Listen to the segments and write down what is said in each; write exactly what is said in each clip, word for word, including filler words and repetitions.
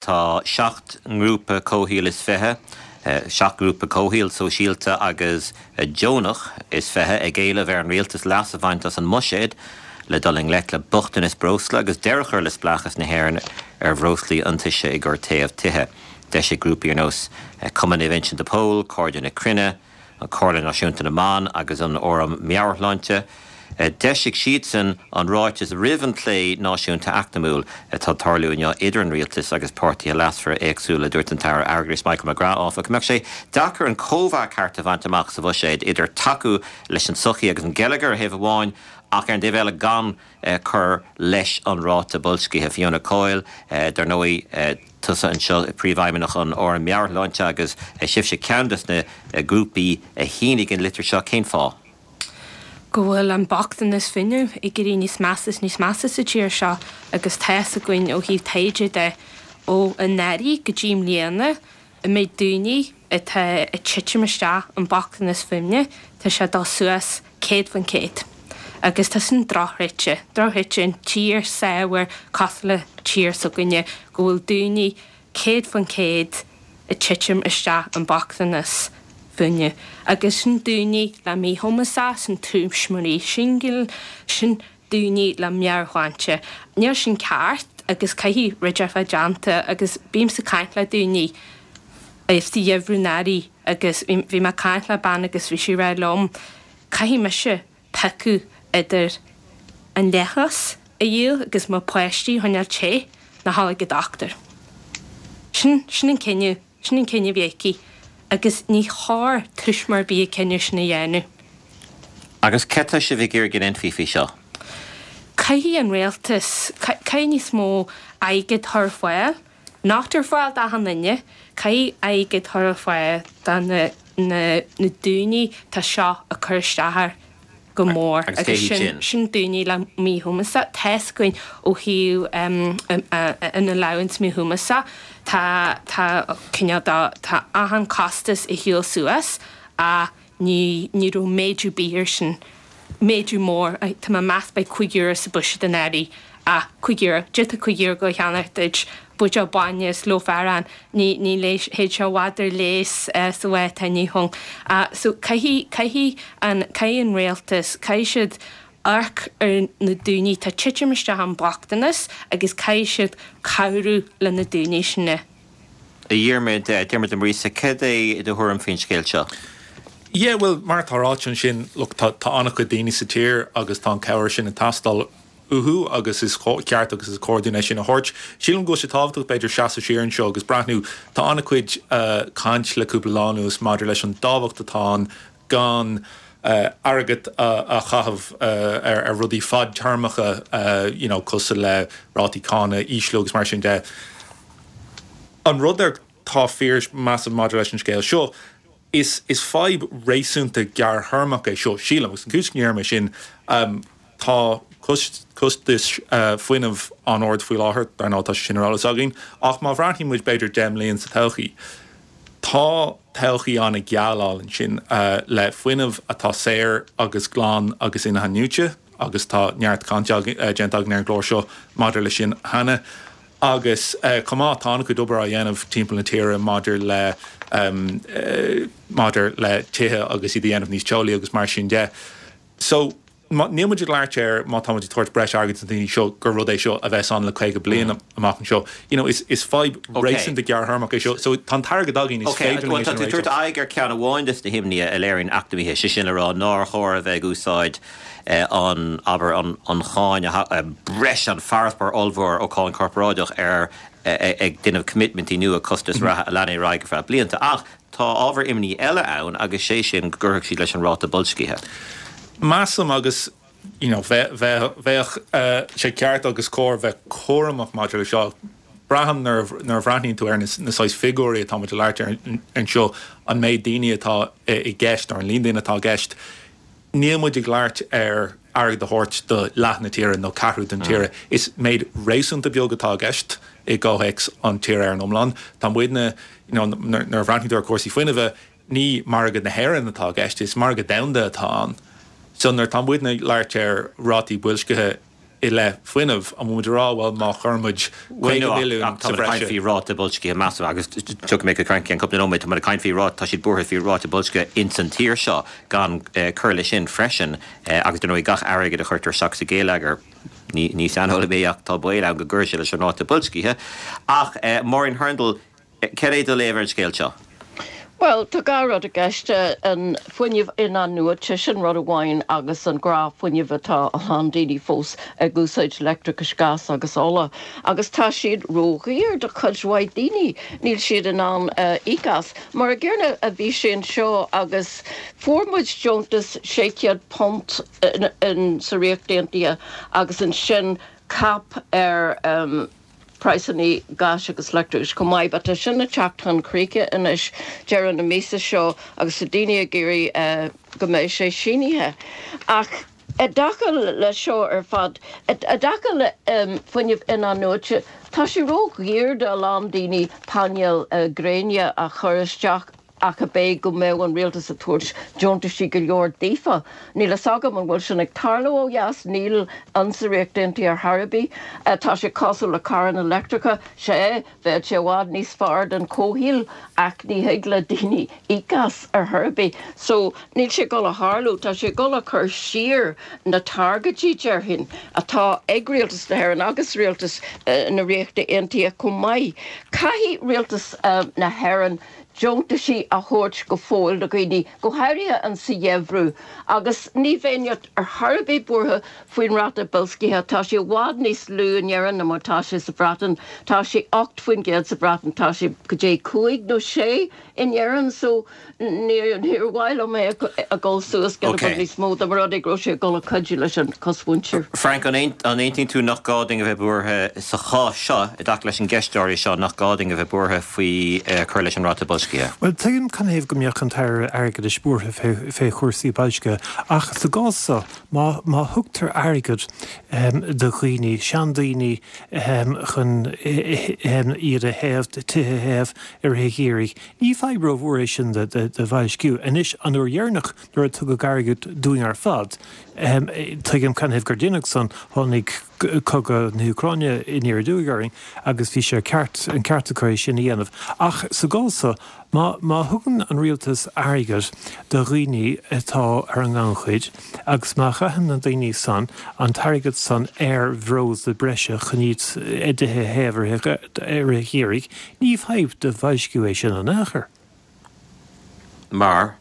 Tá seacht ngrúpa comhshaoil is fiche, seacht ngrúpa comhshaoil, sóisialta agus deonach is fiche ag éileamh ar an rialtas leas a bhaint as an mbuiséad le dul i ngleic le bochtanas breosla agus deireadh a chur le spleáchas na hÉireann ar bhreoslaí iontaise i gcomhair téamh tithe. D'eisigh grúpaí ar nós Cumann Naomh Uinseann de Pól, Cairde na Cruinne, an Chomhairle Náisiúnta na mBan agus an Fhóram Meabhairshláinte. D'eisigh siadsan an ráiteas roimh an plé náisiúnta eacnamúil atá ag tarlú inniu idir an rialtas agus páirtithe leasmhara éagsúla. Dúirt an tAire Airgeadais Michael McGrath, áfach, go mbeadh sé deacair an cóimheá ceart a bhaint amach sa bhuiséad idir tacú leis an tsochaí agus an geilleagar ar thaobh amháin ach ar an dtaobh eile gan cur leis an ráta boilscithe. Fiona Coyle, dar ndóigh, tusa anseo, Príomhfheidhmeannach an Fhóraim Meabhairshláinte agus sibhse ceann de na grúpaí a shínigh an litir seo, cén fáth? go bhfuil an bochtanas fuinnimh ag éirí níos measa is níos measa sa tír seo agus tá fhios againn ó thaobh taighde de ó anuraidh go dtí i mbliana an méid daoine atá ag titim isteach an bochtanas fuinnimh tá sé ag dul suas céad faoin chéad agus tá sin drochráite, drochráite in tír saibhir cosúil le tír s'againne go bhfuil daoine céad faoin chéad ag titim isteach an bochtanas fuinnimh. Agus sin daoine le míchumas, sin tuismitheoirí singil, sin daoine le meabhairshláinte. Níl sin ceart agus caithfidh rud a bheith déanta agus bímse ag caint le daoine sa gheimhreadh anuraidh agus bhí mé ag caint le bean agus bhí sí ag rá liom caithfidh mise piocadh idir an leithreas a dhíol agus mo pháistí a choinneáil te nó dhul ag an dochtúir. Sin sin an cinneadh, sin an cinneadh a bhí aici agus ní chóir tuismitheoir ar bith an cinneadh sin a dhéanamh. Agus céard atá sibh ag iarraidh go ndéanfaí faoi seo? Caithfidh an rialtas, caithfidh níos mó airgead a chur ar fáil, not ar fáil d'achan duine, caithfidh airgead a chur ar fáil do na na na daoine tá seo ag cur isteach air go mór Agus cé agus hiad sin sin? sin daoine le míchumas. Tá's againn ó thaobh an allowance míchumasa tá tá cineál de tá achan costas ag siúl suas ach ní ní raibh méadú ar bith air sin, méadú mór, tá mé ag meas beidh cúig euro sa buiséad anuraidh ach cúig euro, d'fhéadfadh cúig euro go cheannacht duit buidéal bainne is loaf aráin, ní ní théid sé i bhfad ar léas sa lá atá inniu ann. So caithfidh caithfidh an caithfidh an rialtas, caithfidh siad amharc ar na daoine atá ag titim isteach an bochtanas agus caithfidh siad cabhrú le na daoine sin. A Dhiarmaid, Diarmuid de Muiríosa, céard é do thuairim faoin scéal seo? Yeah, bhuel, mar atá ráite ansin, look, tá tá an-chuid daoine sa tír agus tá an cabhair sin ag teastáil uathu agus is ceart agus is cóir dúinn é sin a thabhairt. Sílim go bhfuil sé tábhachtach b'fhéidir seasamh siar anseo agus breathnú, tá an-chuid caint le cúpla lá anuas maidir leis an dtábhacht atá ann gan airgead a chaitheamh ar rudaí fadtéarmacha you know cosúil le rátaí cáin a ísliú agus mar sin de. An rud atá fíor measaim maidir leis an scéal seo, is is fadhb réasúnta gearrthéarmach é seo, sílim, agus an chúis go ndeirim é sin, tá costais fuinnimh an-ard faoi láthair, dar ndóigh tá sé sin ar eolas againn, ach má bhreathnaíonn muid b'fhéidir deich mbliain sa todhchaí, tá todhchaí an-gheal ansin le fuinneamh atá saor agus glan agus in-athnuaite agus tá neart cainte déanta againn ar an gclár seo maidir leis sin cheana. Agus chomh maith, tá an-chuid obair á dhéanamh timpeall na tíre maidir le maidir le tithe agus iad a dhéanamh níos teolaí agus mar sin de. So, níl muid ag labhairt ar má tá muid ag tabhairt breis airgid do na daoine seo gur rud é seo a bheas ann le caoga bliain amach anseo. You know, is is fadhb réasúnta gearrthéarmach é seo. So, tá an t-airgead againn, is féidir linn é sin a réiteach. Tá tú ag tabhairt aghaidh ar ceann amháin de na himní a léiríonn eacnamaithe, sé sin le rá nár chóir a bheith ag úsáid an, abair, an cháin breis, an farasbarr ollmhór ó cháin chorparáideach ar ag déanamh coimitmintí nua costais reatha a leanfaidh ar aghaidh ar feadh blianta. Ach tá ábhar imní eile ann agus sé sin go gcuirfeadh siad leis an ráta boilscithe. Measaim agus, you know, bheadh sé ceart agus cóir bheith cúramach maidir le seo. Braithim nuair a bhreathnaíonn tú ar na saghas figiúirí atá muid ag labhairt ar anseo, an méid daoine atá i gceist, nó an líon daoine atá i gceist, Níl muid ag labhairt ar airgead a thabhairt do leath na tíre nó ceathrú den tíre. Is méid réasúnta beag atá i gceist i gcomhthéacs an tíre ar an iomlán. Tá muidne, you know, nuair a bhreathnaíonn tú ar chúrsaí fuinnimhe, ní margadh na hÉireann atá i gceist, is margadh domhanda atá ann. So nuair atá muidne ag labhairt ar rátaí boilscithe i leith fuinnimh, an bhfuil muid ag rá, bhuel, má chuireann muid caoga milliún sa bhreis. Tá muid ag caint faoi ráta boilscithe measartha agus tiocfaidh mé chuig Frank i gceann cúpla nóiméad, tá muid ag caint faoi ráta, tá siad buartha faoi ráta boilscithe ins an tír seo gan cur leis sin freisin agus dar ndóigh gach airgead a chuirtear isteach sa gheilleagar, ní ní saineolaí mé ach tá baol ann go gcuirfidh sé leis an ráta boilscithe. Ach Máirín Hurndall, cad é do léamh ar an scéal seo? Bhuel, tá dhá rud i gceist, an fuinneamh in-athnuaite, sin rud amháin, agus an gnáthfhuinneamh atá a lán daoine fós ag úsáid leictreachas, gás agus ola, agus tá siad ródhaor do chuid mhaith daoine, níl siad in ann íoc as. Mar an gcéanna a bhí sé anseo agus fuair muid deontas sé chéad punt sa Ríocht Aontaithe agus ansin cap ar praghsanna gáis agus leictreachais chomh maith, but tá sin ag teacht chun críche anois deireadh na míosa seo agus tá daoine ag iarraidh go mbeidh sé sínithe. Ach i dtaca le seo ar fad, i dtaca le fuinneamh in-athnuaite, tá sé ródhaor do a lán daoine painéil gréine a chur isteach ach ab é go mbeadh an rialtas ag tabhairt deontaisí go leor daofa. Níl fhios agam an bhfuil sin ag tarlú ó dheas, níl insa Ríocht Aontaithe ar chor ar bith. Tá sé cosúil le carranna leictreacha, sea, bheadh sé i bhfad níos fearr don chomhshaol ach ní thig le daoine íoc as ar chor ar bith. So, níl sé ag dul a tharlú, tá sé ag dul a chur siar na targaidí, déarfainn, atá ag rialtas na hÉireann agus rialtas na Ríochta Aontaithe chomh maith. Caithfidh rialtas na hÉireann deontaisí a thabhairt go fóill do dhaoine, go háirithe an sa gheimhreadh, agus ní bheinn ar chor ar bith buartha faoin ráta boilscithe, tá sé i bhfad níos lú in Éirinn ná mar tá sé sa Bhreatain, tá sé ocht faoin gcéad sa Bhreatain, tá sé go dtí cúig nó sé in Éirinn, so níor mhaith liom é a dhul suas giota beag níos mó dá mba rud é go raibh sé ag dul a chuidiú leis an chosmhuintir. Frank, an aontaíonn tú nach gá dúinn a bheith buartha sa chás seo, i dtaca leis an gceist áirithe seo, nach gá dúinn a bheith buartha faoi cur leis an ráta boilscithe? Bhuel, tuigim canathaobh go mbeadh an tAire Airgeadais buartha fé chúrsaí boilscithe, ach sa gcás seo, má má thugtar airgead do dhaoine, seandaoine, chun iad a théamh, tithe a théamh i rith an gheimhridh, ní fadhb rómhór é sin do bhoilsciú. Anois, an uair dheireanach nuair a tugadh airgead dúinn ar fad, tuigim canathaobh gur deineadh san, tháinig cogadh na hÚcráine aniar aduaidh orainn agus bhí sé ceart, an ceart acu é sin a dhéanamh. Ach sa gcás so, má, má thugann an rialtas airgead do dhaoine atá ar an ngannchuid agus má chaitheann na daoine san an t-airgead san ar bhreosla breise chun iad, a dtithe a théamh i rith an gheimhridh, ní fadhb do bhoilsciú é sin in aon chor. Mar?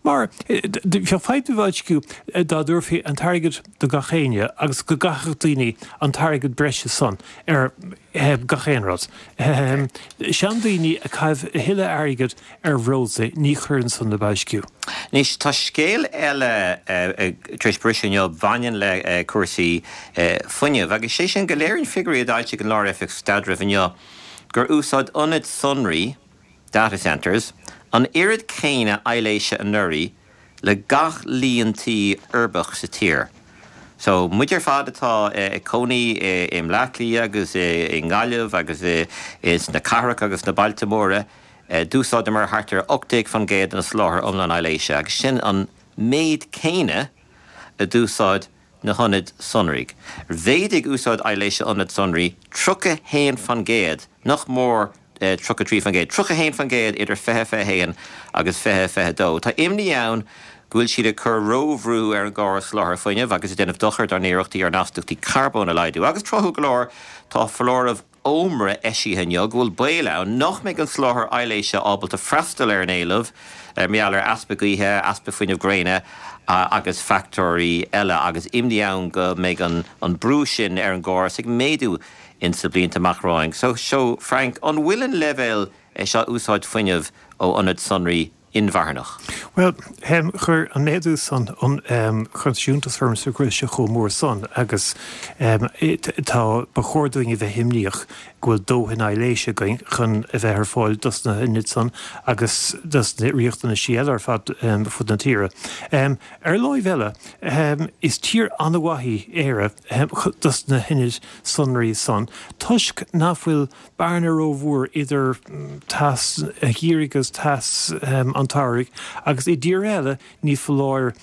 Mar, bheadh fadhb do bhoilsciú dá dtabharfaí an t-airgead do gach éinne agus go gcaithfeadh daoine an t-airgead breise san ar gach aon rud. Seandaoine ag caitheamh a thuilleadh airgid ar bhreosla, ní chuireann san le boilsciú. Anois, tá scéal eile tar éis briseadh inniu a bhaineann le cúrsaí fuinnimh, agus sé sin go léiríonn figiúirí a d'fhoilsigh an Lár-Oifig Staidrimh inniu gur úsáid ionaid sonraí, data centres, an oiread céanna aibhléise anuraidh le gach líon tí uirbeach sa tír. So, muid ar fad atá ag cónaí i mBleá Cliath agus i nGaillimh agus sna cathracha agus sna bailte móra, d'úsáideamar thart ar ocht déag faoin gcéad den soláthar iomlán aibhléise agus sin an méid céanna a d'úsáid na hionaid sonraí. Mhéadaigh úsáid aibhléise ionad sonraí tríocha haon faoin gcéad, nach mór tríocha trí faoin gcéad, tríocha haon faoin gcéad idir fiche fiche haon agus fiche fiche dó. Tá imní ann go bhfuil siad ag cur róbhrú ar an gcóras soláthair fuinnimh agus ag déanamh dochair dár n-iarrachtaí ár n-astaíochtaí carbóin a laghdú. Agus tráthúil go leor, tá foláireamh ómra eisithe inniu go bhfuil baol ann nach mbeidh an soláthar aibhléise ábalta freastal ar an éileamh mar gheall ar easpa gaoithe, easpa fuinneamh gréine agus factóirí eile agus imní ann go mbeidh an brú sin ar an gcóras ag méadú ins na blianta amach romhainn. So, so Frank, an bhfuil an leibhéal seo úsáid fuinnimh ó ionaid sonraí inmharthanach? Bhuel, chuir an méadú san, chuir sé iontas ormsa go raibh sé chomh mór san agus tá, ba chóir dúinn a bheith imníoch go bhfuil dóthain aibhléise againn chun a bheith ar fáil dos na hionaid san agus dos na riachtanaisí eile ar fad fud na tíre. Ar láimh eile, is tír an-mhaith í Éire dos na hionaid sonraí san toisc nach bhfuil bearna rómhór idir teas an gheimhridh agus teas an tsamhraidh agus i dtíortha eile ní foláir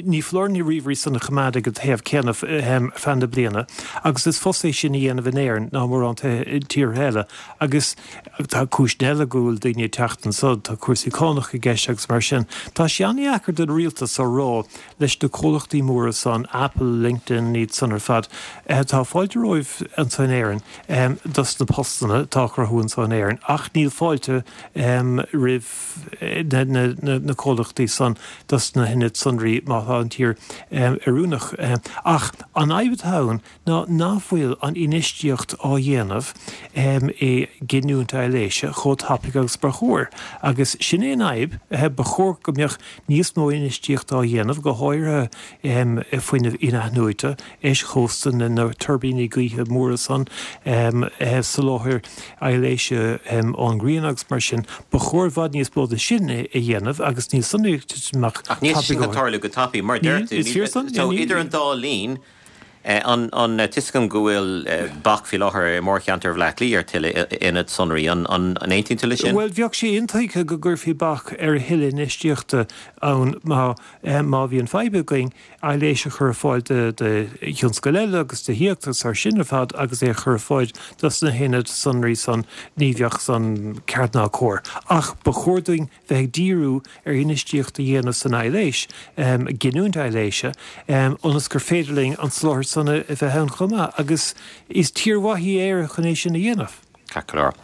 ní foláir na ríomhairí san a choimeád ag an téamh céanna ar feadh na bliana agus is fusa é sin a dhéanamh in Éirinn ná mórán tíortha eile agus tá cúiseanna eile go bhfuil daoine ag teacht anso, tá cúrsaí cánach i gceist agus mar sin. Tá sé an-dheacair don rialtas a rá leis na comhlachtaí móra san, Apple, LinkedIn, iad san ar fad, tá fáilte romhaibh anso in Éirinn dos na postanna atá á chruthú anso in Éirinn ach níl fáilte roimh na comhlachtaí san dos na hionaid sonraí má tá an tír oiriúnach. Ach an fhadhb atá ann ná nach bhfuil an infheistíocht á dhéanamh i giniúint aibhléise chomh tapaidh agus ba chóir. Agus sin é an fhadhb, ba chóir go mbeadh níos mó infheistíochta á dhéanamh, go háirithe i bhfuinneamh in-athnuaite, eischósta, na tuirbíní gaoithe móra san, soláthar aibhléise ón ngrian agus mar sin. Ba chóir i bhfad níos mó de sin a dhéanamh agus níl san ag titim amach Ach níl sé sin ag tarlú go tapaidh, mar a deir tú. Is fíor san. So idir an dá linn, an tá a fhios agam go bhfuil bac faoi láthair i mórcheantar Bhaile Átha Cliath ar tuilleadh ionad sonraí. An aontaíonn tú leis sin? Bhuel, bheadh sé intuigthe go gcuirfí bac ar a thuilleadh infheistíochta ann má má bhíonn fadhb againn aibhléis a chur ar fáil do thionscail eile agus do thithíocht agus mar sin ar fad agus é a chur ar fáil dos na hionaid sonraí san, ní bheadh san ceart ná cóir. Ach ba chóir dúinn bheith ag díriú ar infheistíocht a dhéanamh san aibhléis, giniúint aibhléise, ionas gur féidir linn an soláthar san a bheith ann chomh maith agus is tír mhaith í Éire chun é sin a dhéanamh. Ceart go leor.